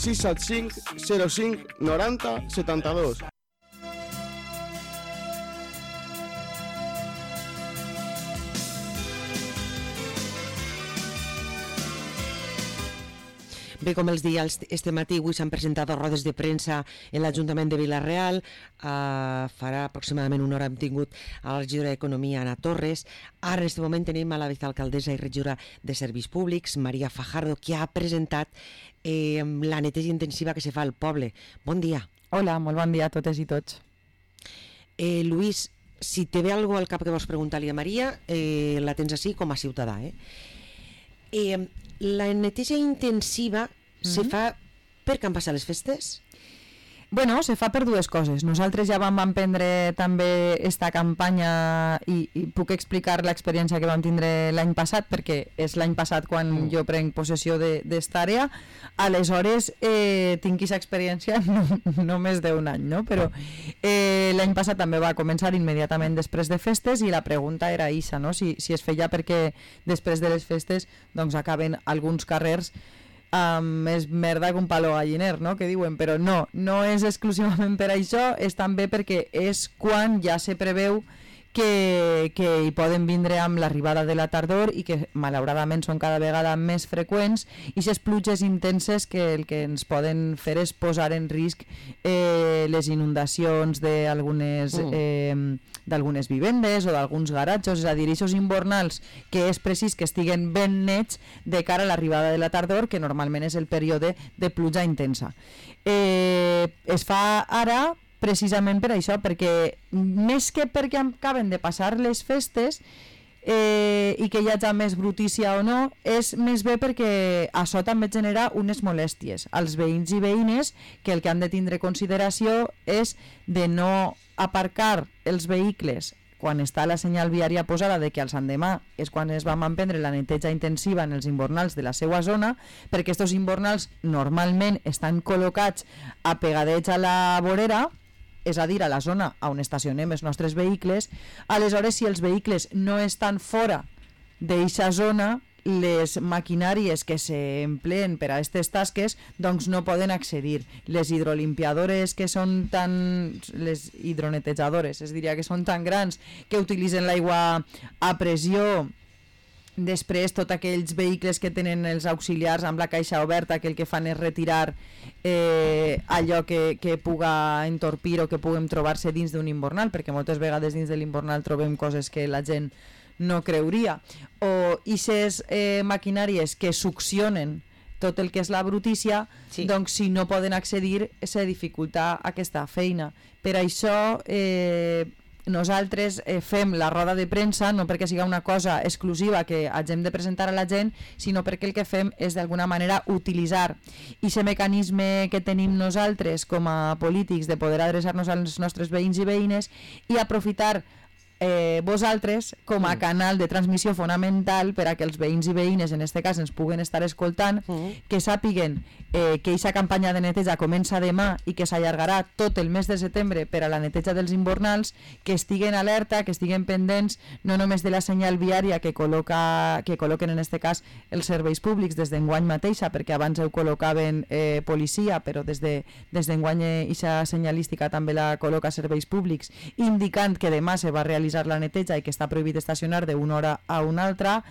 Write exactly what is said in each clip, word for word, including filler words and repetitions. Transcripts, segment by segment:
sis set cinc zero cinc noranta setanta-dos. Bé, com els deia, este matí avui s'han presentat rodes de premsa en l'Ajuntament de Vila-real. Uh, farà aproximadament una hora hem tingut a la regidora d'Economia, Ana Torres. Ara, en aquest moment, tenim a la vicealcaldessa i regidora de Serveis Públics, Maria Fajardo, que ha presentat eh, la neteja intensiva que se fa al poble. Bon dia. Hola, molt bon dia a totes i tots. Eh, Lluís, si te ve alguna al cap que vols preguntar-li a Maria, eh, la tens així com a ciutadà. Eh? Eh, la neteja intensiva mm-hmm. se fa perquè han passat les festes? Bueno, se fa per dues coses. Nosaltres ja vam emprendre també esta campanya i, i puc explicar l'experiència que vam tindre l'any passat, perquè és l'any passat quan mm. jo prenc possessió d'esta àrea. Aleshores, eh, tinc aquesta experiència no, només d'un any, no? Però eh, l'any passat també va començar immediatament després de festes i la pregunta era aquesta, no? Si, si es feia perquè després de les festes doncs acaben alguns carrers Um, és merda que un palo galliner, no? Que diuen, però no, no és exclusivament per això, és també perquè és quan ja se preveu que, que hi poden vindre amb l'arribada de la tardor i que malauradament són cada vegada més freqüents i aquestes pluges intenses que el que ens poden fer és posar en risc eh, les inundacions d'algunes mm. eh, d'algunes vivendes o d'alguns garatjos, és a dir, aquests invernals que és precís que estiguen ben nets de cara a l'arribada de la tardor, que normalment és el període de pluja intensa. Eh, es fa ara precisament per això, perquè més que perquè acaben de passar les festes eh, i que hi hagi més brutícia o no, és més bé perquè això també genera unes molèsties als veïns i veïnes, que el que han de tindre consideració és de no aparcar els vehicles quan està la senyal viària posada de que al Sant Demà és quan es vam emprendre la neteja intensiva en els invernals de la seva zona, perquè aquests invernals normalment estan col·locats apegadets a la vorera, és a dir, a la zona on estacionem els nostres vehicles. Aleshores, si els vehicles no estan fora d'aquesta zona, les maquinàries que s'empleen per a aquestes tasques doncs no poden accedir. Les hidrolimpiadores que són tan... les hidronetejadores, es diria que són tan grans que utilitzen l'aigua a pressió. Després, tots aquells vehicles que tenen els auxiliars amb la caixa oberta, que el que fan és retirar eh, allò que, que puga entorpir o que puguem trobar-se dins d'un invernal, perquè moltes vegades dins de l'invernal trobem coses que la gent no creuria. O aquestes eh, maquinàries que succionen tot el que és la brutícia, sí. Doncs si no poden accedir se dificulta aquesta feina. Per això... Eh, nosaltres eh, fem la roda de premsa no perquè siga una cosa exclusiva que hagem de presentar a la gent, sinó perquè el que fem és d'alguna manera utilitzar aquest mecanisme que tenim nosaltres com a polítics de poder adreçar-nos als nostres veïns i veïnes i aprofitar eh, vosaltres com a canal de transmissió fonamental per a que els veïns i veïnes en aquest cas ens puguen estar escoltant, mm. que sàpiguen eh, que aquesta campanya de neteja comença demà i que s'allargarà tot el mes de setembre per a la neteja dels invernals, que estiguen alerta, que estiguen pendents no només de la senyal viària que, col·loca, que col·loquen en aquest cas els serveis públics des d'enguany mateixa, perquè abans ho col·locaven eh, policia, però des de, des d'enguany aquesta senyalística també la col·loca serveis públics, indicant que demà se va realitzar la neteja i que està prohibit estacionar d'una hora a una altra,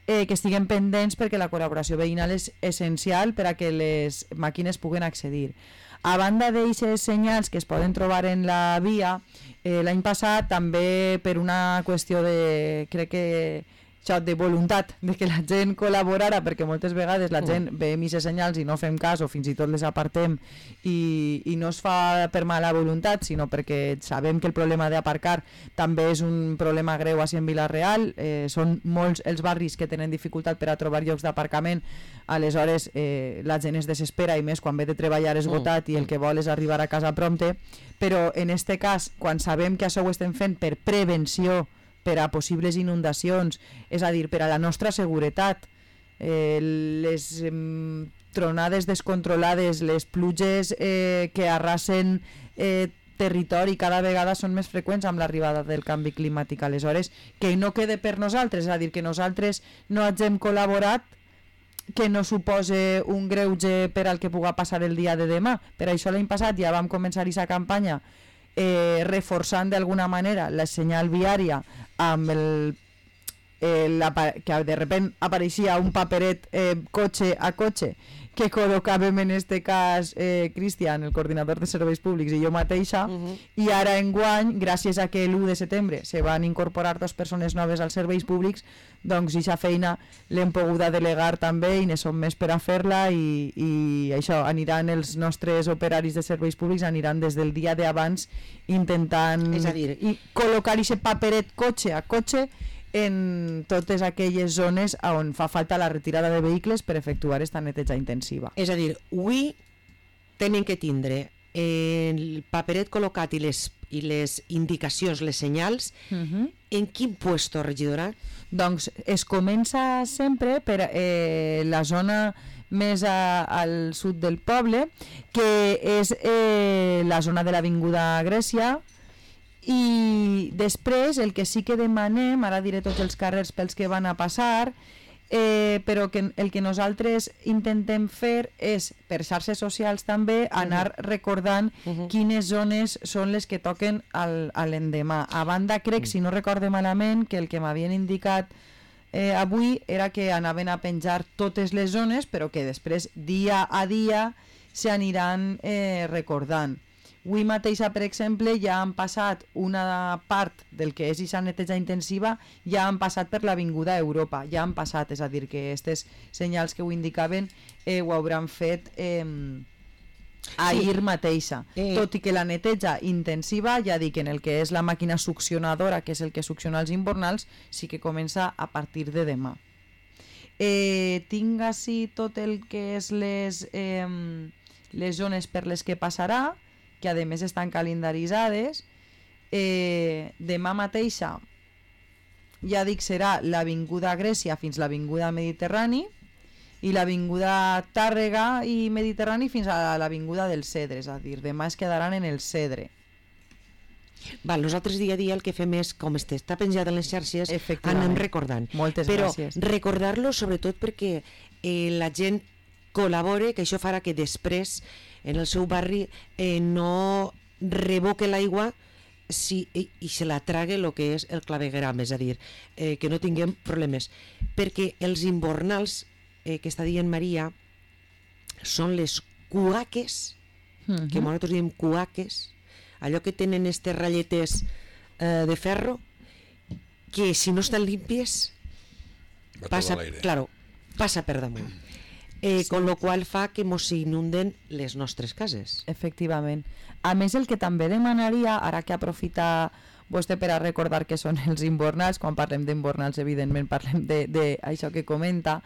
eh, que estiguen pendents perquè la col·laboració veïnal és essencial per a que les màquines puguen accedir. A banda d'aquestes senyals que es poden trobar en la via, eh, l'any passat també per una qüestió de, crec que això, de voluntat de que la gent col·laborara, perquè moltes vegades la gent ve aquestes senyals i no fem cas o fins i tot les apartem i, i no es fa per mala voluntat, sinó perquè sabem que el problema d'aparcar també és un problema greu així en Vila-real, eh, són molts els barris que tenen dificultat per a trobar llocs d'aparcament, aleshores eh, la gent es desespera i més quan ve de treballar esgotat i el que vol és arribar a casa prompte, però en este cas, quan sabem que això ho estem fent per prevenció per a possibles inundacions, és a dir, per a la nostra seguretat, eh, les eh, tronades descontrolades, les pluges eh, que arrasen eh, territori cada vegada són més freqüents amb l'arribada del canvi climàtic. Aleshores, que no quede per nosaltres, és a dir, que nosaltres no hagem col·laborat que no suposa un greuge per al que puga passar el dia de demà. Per això l'any passat ja vam començar aquesta campanya eh, reforçant d'alguna manera la senyal viària amb el, el que de repente apareixia un paperet eh, cotxe a cotxe que col·locàvem en este cas eh, Cristian, el coordinador de serveis públics, i jo mateixa, uh -huh. i ara enguany, gràcies a que l'u de setembre se van incorporar dues persones noves als serveis públics, doncs aquesta feina l'hem poguda delegar també i ne som més per a fer-la i, i això, aniran els nostres operaris de serveis públics aniran des del dia d'abans intentant és a dir, i col·locar aquest paperet cotxe a cotxe en totes aquelles zones on fa falta la retirada de vehicles per efectuar esta neteja intensiva. És a dir, avui tenen que tindre el paperet col·locat i les, i les indicacions, les senyals, uh-huh. En quin puesto, regidora? Doncs es comença sempre per eh, la zona més a, al sud del poble, que és eh, la zona de l'Avinguda Grècia, i després el que sí que demanem, ara diré tots els carrers pels que van a passar, eh, però que el que nosaltres intentem fer és, per xarxes socials també, anar uh-huh. recordant uh-huh. quines zones són les que toquen al, a l'endemà. A banda, crec, uh-huh. si no recorde malament, que el que m'havien indicat eh, avui era que anaven a penjar totes les zones, però que després, dia a dia, s'aniran eh, recordant. Avui mateixa, per exemple, ja han passat una part del que és aquesta neteja intensiva, ja han passat per l'Avinguda Europa, ja han passat, és a dir, que aquestes senyals que ho indicaven eh, ho hauran fet eh, ahir sí. mateixa. Eh. Tot i que la neteja intensiva, ja dic, en el que és la màquina succionadora, que és el que succiona els invernals, sí que comença a partir de demà. Eh, tinc així tot el que és les, eh, les zones per les que passarà, que a més estan calendaritzades. Eh, demà mateixa, ja dic, serà l'Avinguda Grècia fins l'Avinguda Mediterrani i l'Avinguda Tàrrega i Mediterrani fins a l'Avinguda del Cedre, és a dir, demà es quedaran en el Cedre. Val, nosaltres dia a dia el que fem és, com este està penjat en les xarxes, anem recordant. Moltes Però gràcies. recordar-lo sobretot perquè eh, la gent col·labore, que això farà que després en el seu barri eh, no revoque l'aigua si, i, i se la trague el que és el clavegueram, és a dir, eh, que no tinguem problemes. Perquè els invernals, eh, que està dient Maria, són les cuaques, uh-huh. que nosaltres diem cuaques, allò que tenen estes ratlletes eh, de ferro, que si no estan límpies, passa, claro, passa per damunt. Eh, sí. Con lo qual fa que mos inunden les nostres cases. Efectivament. A més, el que també demanaria, ara que aprofita vostè per a recordar que són els invernals, quan parlem d'invernals evidentment parlem d'això que comenta,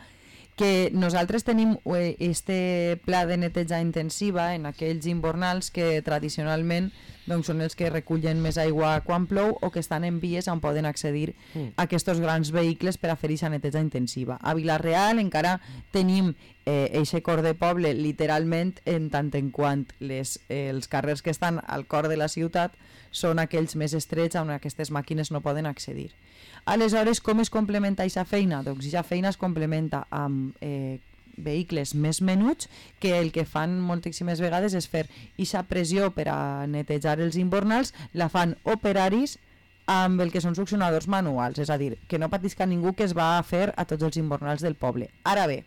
que nosaltres tenim este pla de neteja intensiva en aquells invernals que tradicionalment doncs, són els que recullen més aigua quan plou o que estan en vies on poden accedir mm. a aquests grans vehicles per a fer aquesta neteja intensiva. A Vila-real encara tenim eh, eixe cor de poble literalment en tant en quant les, eh, els carrers que estan al cor de la ciutat són aquells més estrets on aquestes màquines no poden accedir. Aleshores, com es complementa aquesta feina? Doncs aquesta feina es complementa amb eh, vehicles més menuts que el que fan moltíssimes vegades és fer aquesta pressió per a netejar els invernals, la fan operaris amb el que són succionadors manuals, és a dir, que no patisca ningú que es va a fer a tots els invernals del poble. Ara bé,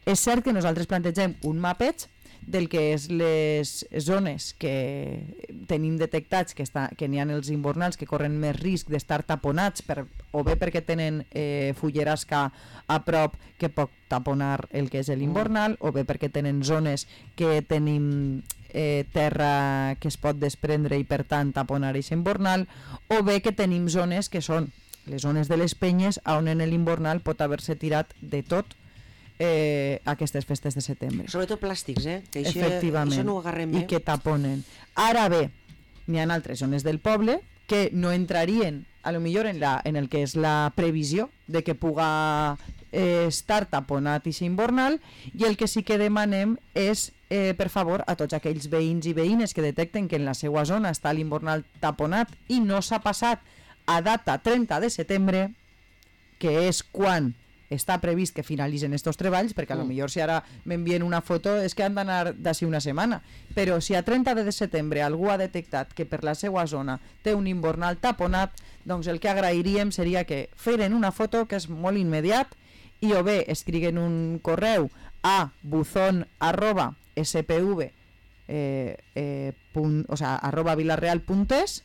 és cert que nosaltres plantegem un mapeig del que és les zones que tenim detectats que, està, que n'hi ha els invernals que corren més risc d'estar taponats per, o bé perquè tenen eh, fullerasca a prop que pot taponar el que és l'invernal o bé perquè tenen zones que tenim eh, terra que es pot desprendre i per tant taponar aquest invernal o bé que tenim zones que són les zones de les penyes on en l'invernal pot haver-se tirat de tot Eh, aquestes festes de setembre. Sobretot plàstics, eh? Que això, efectivament, això no ho agarrem bé. I que taponen. Ara bé, n'hi ha altres zones del poble que no entrarien a lo millor en, la, en el que és la previsió de que puga eh, estar taponat i ser invernal, i el que sí que demanem és eh, per favor a tots aquells veïns i veïnes que detecten que en la seva zona està l'invernal taponat i no s'ha passat a data trenta de setembre, que és quan està previst que finalitzen estos treballs, perquè a lo millor si ara m'envien una foto és que han d'anar d'ací una setmana, però si a trenta de setembre algú ha detectat que per la seva zona té un invernal taponat, doncs el que agrairíem seria que feren una foto, que és molt immediat, i o bé escriguen un correu a buzón arroba spv eh, eh, punt, o sea, arroba vilarreal.es,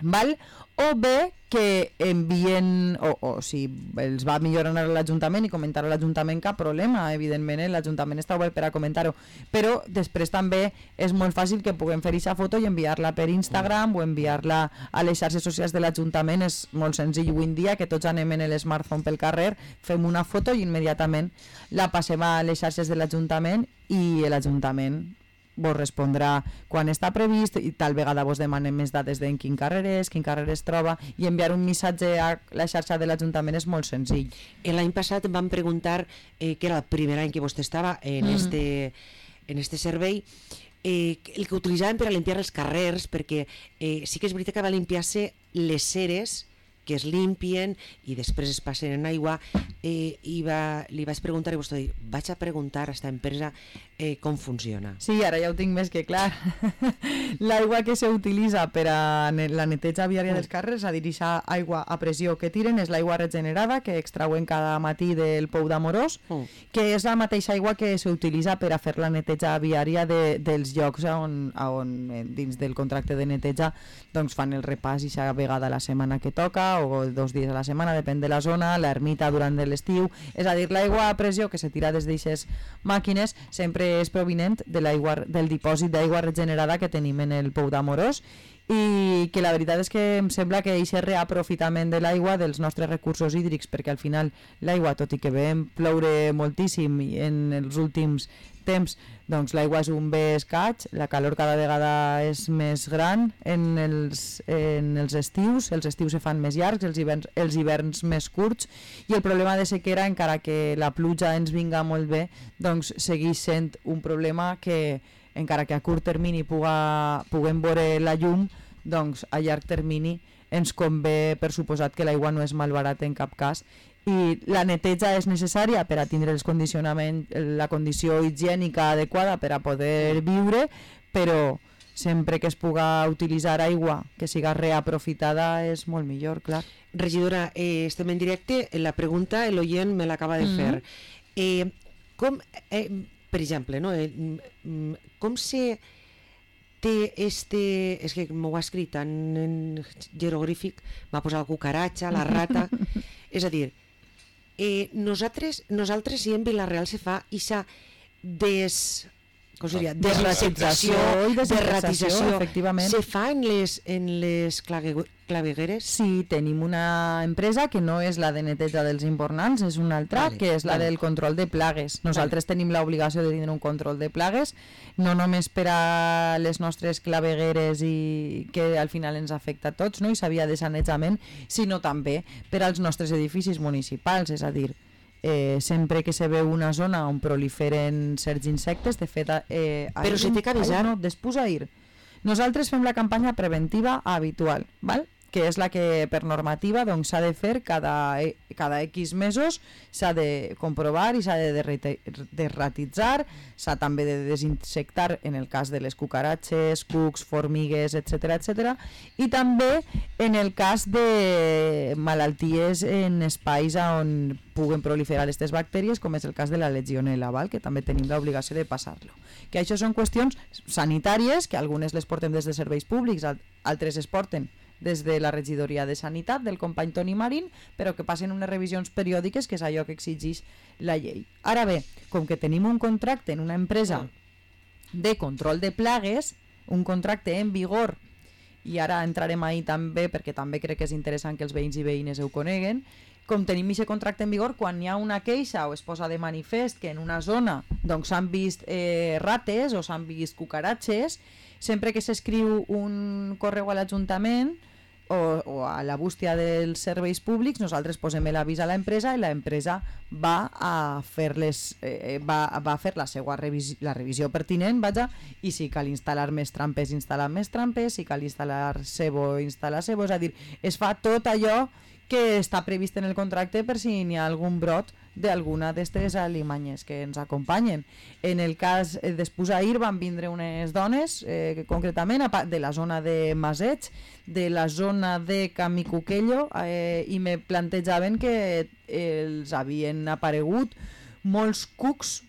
val? O bé que envien, o, o si els va millor anar a l'Ajuntament i comentar a l'Ajuntament, cap problema, evidentment, eh? l'Ajuntament està obert per a comentar-ho, però després també és molt fàcil que puguem fer aquesta foto i enviar-la per Instagram o enviar-la a les xarxes socials de l'Ajuntament. És molt senzill avui en dia, que tots anem en l'smartphone pel carrer, fem una foto i immediatament la passem a les xarxes de l'Ajuntament i l'Ajuntament vos respondrà quan està previst i tal vegada vos demanem més dades d'en quin carrer és, quin carrer es troba, i enviar un missatge a la xarxa de l'Ajuntament és molt senzill. L'any passat em van preguntar, eh, que era el primer any que vostè estava en, mm. este, en este servei, eh, el que utilitzaven per a limpiar els carrers, perquè eh, sí que és veritat que va limpiar-se les ceres que es limpien i després es passen en aigua, eh, i va, li vaig preguntar i vostè va dir, vaig a preguntar a esta empresa eh, com funciona. Sí, ara ja ho tinc més que clar. L'aigua que s'utilitza per a la neteja viària dels carrers, a dir, aquesta aigua a pressió que tiren, és l'aigua regenerada que extrauen cada matí del Pou d'Amorós, mm. que és la mateixa aigua que s'utilitza per a fer la neteja viària de, dels llocs on, on dins del contracte de neteja doncs fan el repàs i cada vegada a la setmana que toca o dos dies a la setmana, depèn de la zona, l'ermita durant l'estiu, és a dir, l'aigua a pressió que se tira des d'aquestes màquines sempre és provinent de l'aigua, del dipòsit d'aigua regenerada que tenim en el Pou d'Amorós, i que la veritat és que em sembla que aquest reaprofitament de l'aigua dels nostres recursos hídrics, perquè al final l'aigua, tot i que veiem ploure moltíssim en els últims temps, doncs l'aigua és un bé escaig, la calor cada vegada és més gran en els, en els estius, els estius se fan més llargs, els hiverns, els hiverns més curts, i el problema de sequera, encara que la pluja ens vinga molt bé, doncs segueix sent un problema que, encara que a curt termini puga, puguem veure la llum, doncs a llarg termini ens convé, per suposat, que l'aigua no és malbarata en cap cas, i la neteja és necessària per a tindre els condicionaments, la condició higiènica adequada per a poder viure, però sempre que es puga utilitzar aigua que siga reaprofitada és molt millor, clar. Regidora, eh, estem en directe, la pregunta l'oient me l'acaba de fer. Mm-hmm. eh, com, eh, per exemple, no, eh, com se té este... És que m'ho ha escrit en, en jeroglífic, m'ha posat la cucaratxa, la rata... És a dir, eh, nosaltres, nosaltres si en Vila-real se fa ixa des... com seria? Desratització i desratització, efectivament. Se fa en les, en les clavegueres? Sí, tenim una empresa que no és la de neteja dels invernals, és una altra, vale, que és la vale. del control de plagues. Nosaltres vale. tenim l'obligació de tenir un control de plagues, no només per a les nostres clavegueres i que al final ens afecta a tots, no? I s'havia de sanejament, sinó també per als nostres edificis municipals, és a dir, Eh, sempre que se veu una zona on proliferen certs insectes, de fet... Eh, Però si té que avisar... No, després a ir. Nosaltres fem la campanya preventiva habitual, val? Que és la que per normativa s'ha doncs, de fer cada, cada X mesos, s'ha de comprovar i s'ha de derratitzar, s'ha també de desinsectar en el cas de les cucaratxes, cucs, formigues, etcètera, etcètera, i també en el cas de malalties en espais on puguen proliferar aquestes bactèries, com és el cas de la legionel·la, val? Que també tenim l'obligació de passar-lo. Que això són qüestions sanitàries, que algunes les portem des de serveis públics, altres es porten des de la regidoria de Sanitat del company Toni Marín, però que passen unes revisions periòdiques, que és allò que exigeix la llei. Ara bé, com que tenim un contracte en una empresa de control de plagues, un contracte en vigor, i ara entrarem ahí també, perquè també crec que és interessant que els veïns i veïnes ho coneguen, com tenim aquest contracte en vigor, quan hi ha una queixa o es posa de manifest que en una zona doncs s'han vist eh, rates o s'han vist cucaratxes, sempre que s'escriu un correu a l'Ajuntament o, o a la bústia dels serveis públics, nosaltres posem l'avís a l'empresa i l'empresa va a fer les, eh, va, va a fer la seva revisió, la revisió pertinent, vaja, i si cal instal·lar més trampes, instal·lar més trampes, si cal instal·lar cebo, instal·lar cebo, és a dir, es fa tot allò que està previst en el contracte per si n'hi ha algun brot d'alguna d'aquestes alimanyes que ens acompanyen. En el cas, eh, després ahir van vindre unes dones, eh, concretament de la zona de Maseig, de la zona de Camicuquello, eh, i me plantejaven que els havien aparegut molts cucs.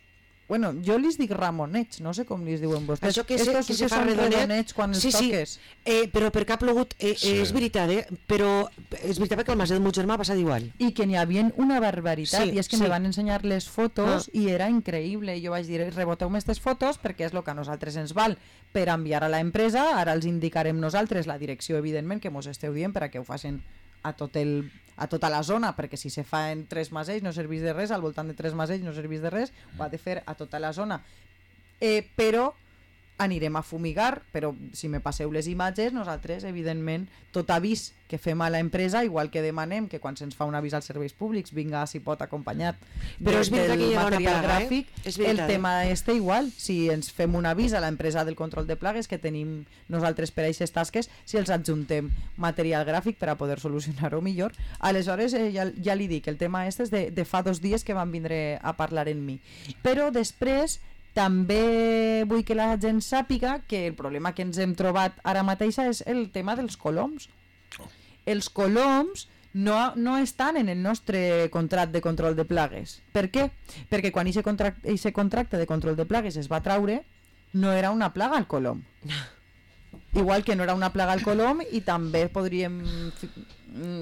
Bueno, jo li dic ramonets, no sé com li diuen vostès. Això que, se, Estos que se que fa són redonet, redonets quan els sí, sí. toques. Eh, però perquè ha plogut, eh, Sí. eh, és veritat, eh? Però és veritat que el Maset del meu germà ha passat igual. I que n'hi havia una barbaritat, Sí, i és que sí. me van ensenyar les fotos Ah. i era increïble. Jo vaig dir, reboteu-me aquestes fotos perquè és el que a nosaltres ens val per enviar a l'empresa. Ara els indicarem nosaltres la direcció, evidentment, que mos esteu dient per a que ho facin a tot el a tota la zona, perquè si se fa en Tres Masells no serveix de res, al voltant de Tres Masells no serveix de res, ho ha de fer a tota la zona. Eh, però anirem a fumigar, però si me passeu les imatges, nosaltres, evidentment, tot avís que fem a l'empresa, igual que demanem que quan se'ns fa un avís als serveis públics vinga, si pot, acompanyat Però de, és veritat del que hi ha una material plaga, gràfic. eh? És veritat, el eh? tema este igual, si ens fem un avís a l'empresa del control de plagues que tenim nosaltres per a aquestes tasques, si els adjuntem material gràfic per a poder solucionar-ho millor. Aleshores, eh, ja, ja li dic, el tema este és de, de fa dos dies que van vindre a parlar en mi. Però després també vull que la gent sàpiga que el problema que ens hem trobat ara mateixa és el tema dels coloms. Els coloms no, no estan en el nostre contracte de control de plagues. Per què? Perquè quan aquest contracte, contracte de control de plagues es va traure, no era una plaga el colom. Igual que no era una plaga el colom, i també podríem...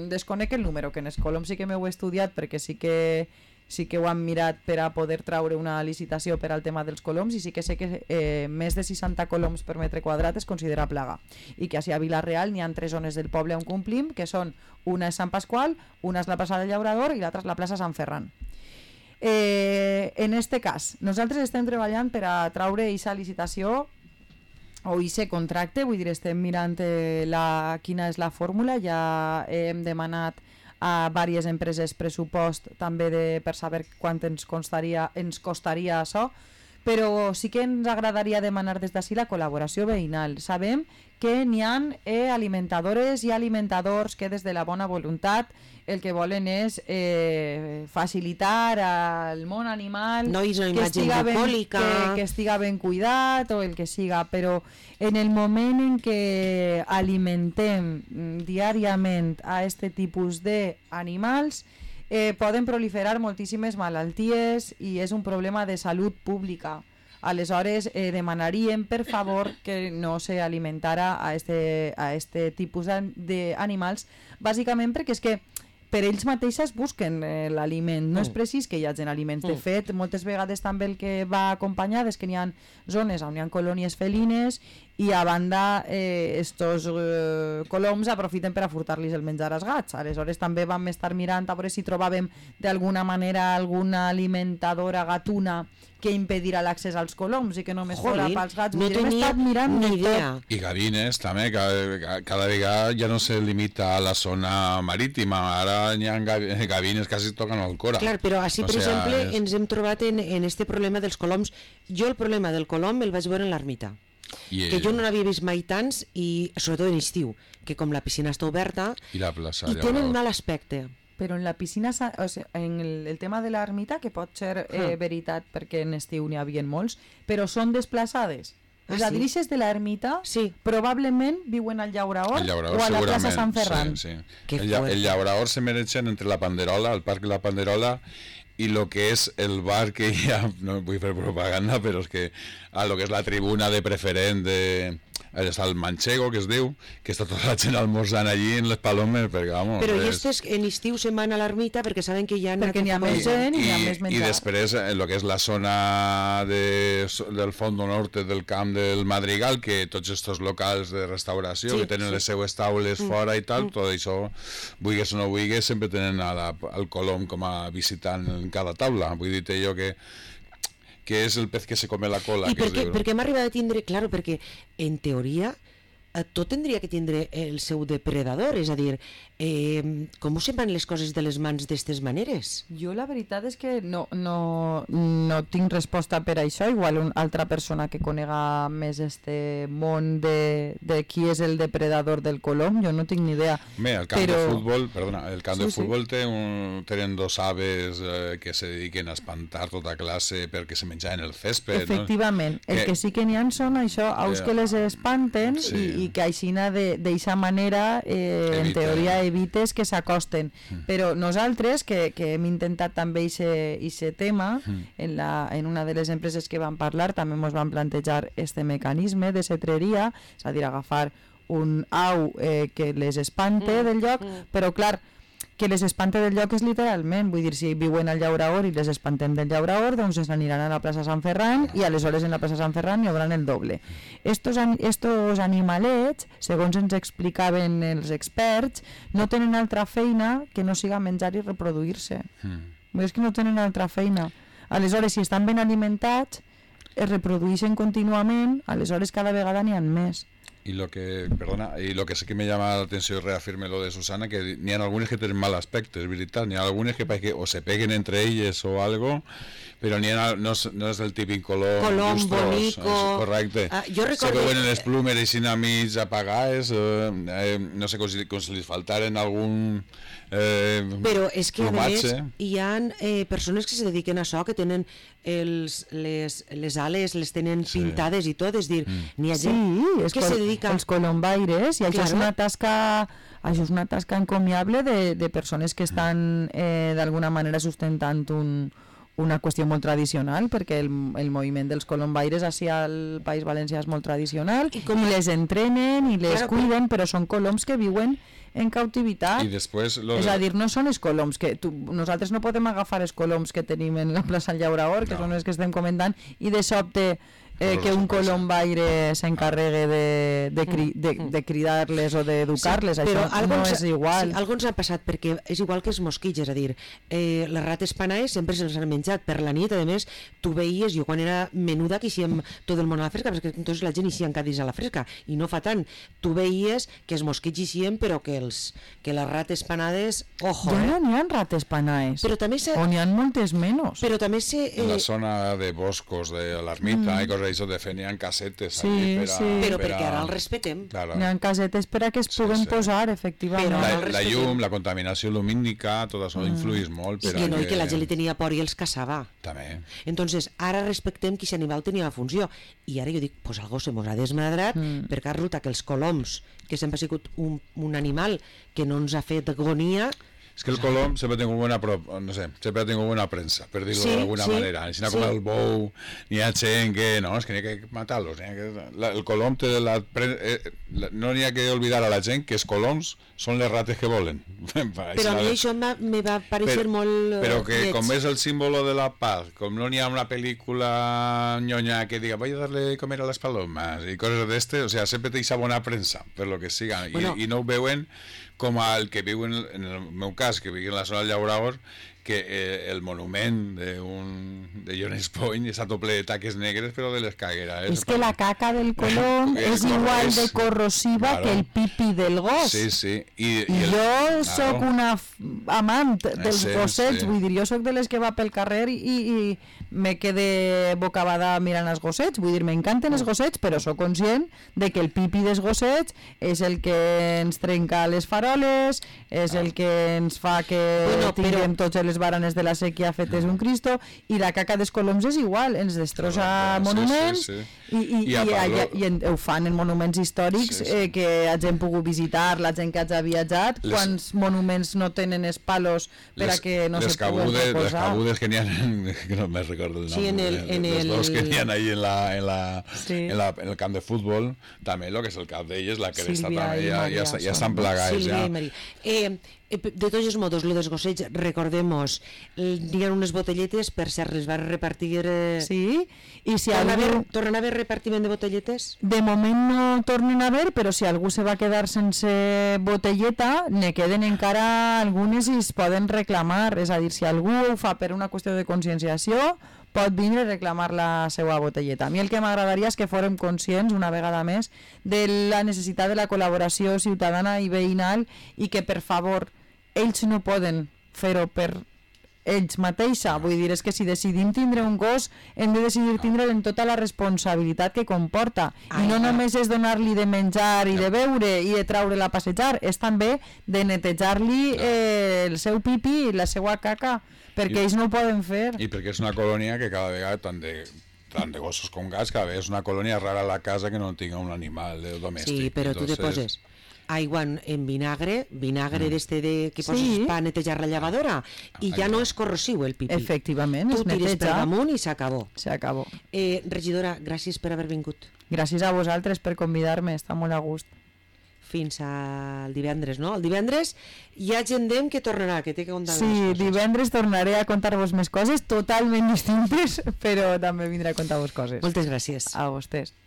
Desconec el número, que en els coloms sí que m'ho he estudiat perquè sí que sí que ho han mirat per a poder traure una licitació per al tema dels coloms, i sí que sé que eh, més de seixanta coloms per metre quadrat es considera plaga, i que així a Vila-real n'hi ha tres zones del poble on complim, que són una és Sant Pasqual, una és la plaça del Llaurador i l'altra és la plaça Sant Ferran. Eh, en este cas, nosaltres estem treballant per a traure aquesta licitació o aquest contracte, vull dir, estem mirant eh, la, quina és la fórmula, ja hem demanat a diverses empreses pressupost també de, per saber quant ens costaria, ens costaria això, però sí que ens agradaria demanar des d'ací la col·laboració veïnal. Sabem que n'hi ha eh, alimentadores i alimentadors que des de la bona voluntat el que volen és eh, facilitar al món animal Nois o que, imatge estiga ben, bucòlica. que, que estiga ben cuidat o el que siga, però en el moment en què alimentem mm, diàriament a este tipus d'animals eh, poden proliferar moltíssimes malalties i és un problema de salut pública. Aleshores eh, demanaríem per favor que no se alimentara a este, a este tipus d'animals, bàsicament perquè és que per ells mateixes busquen eh, l'aliment, no és precís que hi hagi aliments. De fet, moltes vegades també el que va acompanyat és que n'hi ha zones on hi ha colònies felines i a banda eh, estos eh, coloms aprofiten per a furtar-los el menjar als gats. Aleshores també vam estar mirant a veure si trobàvem d'alguna manera alguna alimentadora gatuna que impedirà l'accés als coloms i que només fora Jolín, pels gats. no Vull dir, hem tenia estat mirant ni de idea. tot. I gavines també, cada, cada vegada ja no se limita a la zona marítima, ara hi ha gavi- gavines que quasi toquen el cora. Clar, però així, O per sea, exemple, és- ens hem trobat en, en este problema dels coloms. Jo el problema del colom el vaig veure en l'ermita, I, que jo no n'havia vist mai tants, i sobretot en estiu, que com la piscina està oberta, I la plaça. i tenen Llaurador. mal aspecte. Però en la piscina, sa- o sigui, en el, el tema de l'ermita, que pot ser eh, veritat perquè en estiu n'hi havia molts, però són desplaçades. Ah, Els sí? adrices de l'ermita Sí. probablement viuen al Llaurador, El llaurador, o a la plaça segurament. Sant Ferran. Sí, sí. Qué El, lla- fuerte. el llaurador se mereixen entre la Panderola, el Parc de la Panderola, i lo que és el bar que hi ha, no vull fer propaganda, però és que a lo que és la tribuna de preferent de... Està el Manchego, que es diu, que està tota la gent almorzant allí en les palomes, perquè, vamos... Però i és- estes en estiu se'n van a l'ermita perquè saben que hi ha... Perquè n'hi ha més gent i hi ha més I menjar. després en lo que és la zona de, del fondo norte del camp del Madrigal, que tots estos locals de restauració Sí, que tenen sí. les seues taules fora i tal, tot això, vulguis o no vulguis, sempre tenen a la, al colom com a visitant en cada taula. Vull dir-te jo que que és el pez que se come la cola. I que per es què, diu, no? per què hem arribat a tindre... Claro, perquè en teoria eh, tot tindria que tindre el seu depredador, és a dir, eh, com se'n van les coses de les mans d'estes maneres? Jo la veritat és que no, no, no tinc resposta per això, igual una altra persona que conega més este món de, de qui és el depredador del colom, jo no tinc ni idea. Bé, el camp però... de futbol, perdona, el camp Sí, de futbol té un, tenen dos aves eh, que se dediquen a espantar tota classe perquè se menjaven el césped. Efectivament, no? el que... que sí que n'hi ha són això, aus Eh, que les espanten sí. i, i que aixina d'eixa manera eh, en Eviten. teoria evites que s'acosten. Mm. Però nosaltres, que, que hem intentat també aquest tema, Mm. en, la, en una de les empreses que vam parlar també ens van plantejar este mecanisme de cetreria, és a dir, agafar un au eh, que les espante Mm, del lloc, mm. però clar, que les espante del lloc és literalment, vull dir, si viuen al Llauraor i les espantem del Llauraor, doncs es aniran a la plaça Sant Ferran i aleshores en la plaça Sant Ferran hi haurà el doble. Estos, an estos animalets, segons ens explicaven els experts, no tenen altra feina que no siga menjar i reproduir-se. Mm. És que no tenen altra feina. Aleshores, si estan ben alimentats, es reprodueixen contínuament, aleshores cada vegada n'hi ha més. Y lo que, perdona, y lo que sí que me llama la atención y reafirme lo de Susana, que ni hay algunos que tienen mal aspecto, es verdad, ni hay algunos que, que o se peguen entre ellos o algo, pero ni en, no, es, no es el típico color Colom, lustros, bonico. es correcte. Ah, jo Se recordo... veuen les plumes i sin amics apagades, eh, eh, no sé, com si, com si li faltaren algun eh, Però és que, a més, plomatge. hi ha eh, persones que se dediquen a això, que tenen els, les, les ales, les tenen Sí. pintades i tot, és dir, Mm. n'hi ha Sí, gent és que col se dedica... els colombaires, i això Claro. és una tasca això és una tasca encomiable de, de persones que estan eh, d'alguna manera sustentant un, una qüestió molt tradicional, perquè el, el moviment dels colombaires així al País Valencià és molt tradicional, I i, com- i les entrenen i les Claro, cuiden, però són coloms que viuen en cautivitat. Y después lo És de- a dir, no són els coloms que tu, nosaltres no podem agafar els coloms que tenim en la plaça Llauraor, que No. són els que estem comentant, i de sobte eh, Però que un això passa. colombaire s'encarregue de, de, cri, de, de cridar-les o d'educar-les, Sí, això però algo no ens- és igual. Sí, algo ens ha passat, perquè és igual que els mosquits, és a dir, eh, les rates panaes sempre se'ls han menjat per la nit, a més, tu veies, jo quan era menuda que hiciem tot el món a la fresca, perquè entonces la gent hicien cadis a la fresca, i no fa tant, tu veies que els mosquits hicien, però que, els, que les rates panades, ojo, Ja eh? no n'hi ha rates panaes, Però també se... o n'hi ha moltes menys. Però també se... en Eh, la zona de boscos de la ermita y cosas de eso de fenían casetes Sí, allí per a, sí. però per perquè a- ara el respetem. Claro. N'hi ha casetes per a que es Sí, puguen sí. posar, efectivament. Però- La, el la respetem. llum, la contaminació lumínica, tot això influeix molt. I Per que a no, i que la gent li tenia por i els caçava. També. Entonces, ara respectem que aquest animal tenia la funció. I ara jo dic, pues algo se mos ha desmadrat, Mm. perquè resulta que els coloms, que sempre ha sigut un, un animal que no ens ha fet agonia, Es que el colom sempre ha tingut bona, pro, no sé, sempre ha tingut bona premsa, per dir-ho Sí, d'alguna sí, manera. Si no com sí. el bou, n'hi ha gent que, no, és que n'hi ha que matar-los. n'hi ha que- la- El colom té la, pre- eh, la, no n'hi ha que oblidar a la gent que els coloms són les rates que volen. però a mi això m'ha- me va parecer Però- molt eh, Però que lleig. com és el símbolo de la paz, com no n'hi ha una pel·lícula ñoña que diga voy a darle comer a las palomas y cosas de este, o sea, sempre té esa bona premsa, per lo que siga, i, Bueno. i no ho veuen com el que viu, en, en el meu cas, que viu en la zona del Llauraor, que eh, el monument de, un, de Jones Point està tot ple de taques negres, però de les cagueres. És que la caca del colom És és igual correcte. de corrosiva Claro. que el pipi del gos. Sí, sí. I, I el- jo sóc claro. una f- amant dels Sí, gossets, sí. vull dir, jo sóc de les que va pel carrer i, i me quede bocabada mirant els gossets, vull dir, m'encanten els gossets, però sóc conscient de que el pipi dels gossets és el que ens trenca les faroles, és el que ens fa que Bueno, però- tinguem totes les baranes de la sèquia fetes un Cristo, i la caca dels coloms és igual, ens destrossa Sí, monuments sí, sí. i, i, I a i, Pablo- i, i en- ho fan en monuments històrics Sí, sí. eh, que hagin pogut visitar, la gent que hagi viatjat, Les- quants monuments no tenen els palos per a que no les se puguen cabudes, les reposar. cabudes que n'hi ha, que no me recordo el nom, Sí, en el- de- en dels el- dos que n'hi ha ahí en, la, en, la, Sí. en, la, en el camp de futbol, també el que és el cap d'elles, la cresta Sílvia també, i ja, Maria ja, ja són- estan plegats. Sílvia Ja. i Maria. Eh, eh, de tots els modos, lo dels gossets, recordemos, hi ha unes botelletes, per cert, les va repartir... Eh, Sí, i si torna, a algú... haver, torna a haver repartiment de botelletes? De moment no tornen a ver, però si algú se va quedar sense botelleta, ne queden encara algunes i es poden reclamar. És a dir, si algú ho fa per una qüestió de conscienciació, pot vindre a reclamar la seva botelleta. A mi el que m'agradaria és que fórem conscients, una vegada més, de la necessitat de la col·laboració ciutadana i veïnal i que, per favor, ells no poden fer-ho per ells mateixa, vull dir, és que si decidim tindre un gos hem de decidir tindre'l en tota la responsabilitat que comporta, i no només és donar-li de menjar i de beure i de treure-la a passejar, és també de netejar-li eh, el seu pipi i la seva caca, perquè ells no ho poden fer. I perquè és una colònia que cada vegada tant de, tant de gossos com gats, cada vegada és una colònia rara a la casa que no tinga un animal domèstic. Sí, però tu te poses aigua en vinagre, vinagre mm. d'este de, que poses sí. per netejar la llevadora, i ja no és corrosiu el pipí. Efectivament, tu es neteja. Tu tires per damunt i s'acabó. S'acabó. Eh, regidora, gràcies per haver vingut. Gràcies a vosaltres per convidar-me, està molt a gust. Fins al divendres, no? El divendres hi ha gent d'em que tornarà, que té que contar sí, més coses. Sí, divendres tornaré a contar-vos més coses, totalment distintes, però també vindré a contar-vos coses. Moltes gràcies. A vostès.